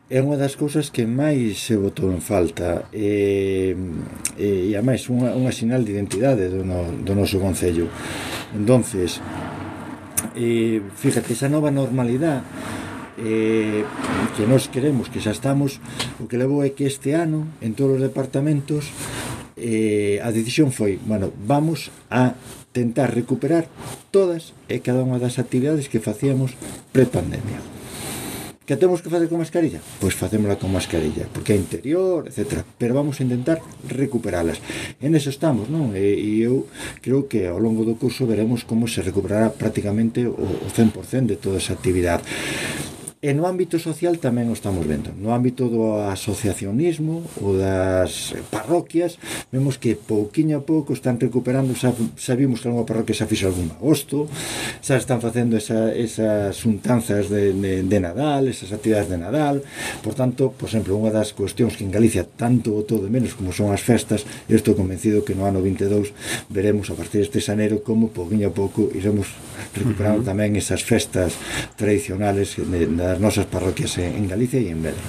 é unha das cousas que máis se botou en falta e ademais unha sinal de identidade do noso concello. Entonces, fíjate, esa nova normalidade que nós queremos, que xa estamos, o que levou é que este ano en todos os departamentos a decisión foi, bueno, vamos a tentar recuperar todas e cada unha das actividades que facíamos pre-pandemia. Que temos que facer con mascarilla? Pois facémola con mascarilla, porque é interior, etc. Pero vamos a intentar recuperalas. En eso estamos, non? E eu creo que ao longo do curso veremos como se recuperará prácticamente o 100% de toda esa actividade. E no ámbito social tamén o estamos vendo. No ámbito do asociacionismo ou das parroquias, vemos que pouquiño a pouco están recuperando, xa vimos que algunha parroquia xa fixo algún agosto, xa están facendo esas xuntanzas de Nadal, esas actividades de Nadal. Por tanto, por exemplo, unha das cuestións que en Galicia tanto botou de menos como son as festas, eu estou convencido que no ano 22 veremos a partir deste xaneiro como pouquiño a pouco iremos recuperando tamén esas festas tradicionales das nosas parroquias en Galicia e en Vedra.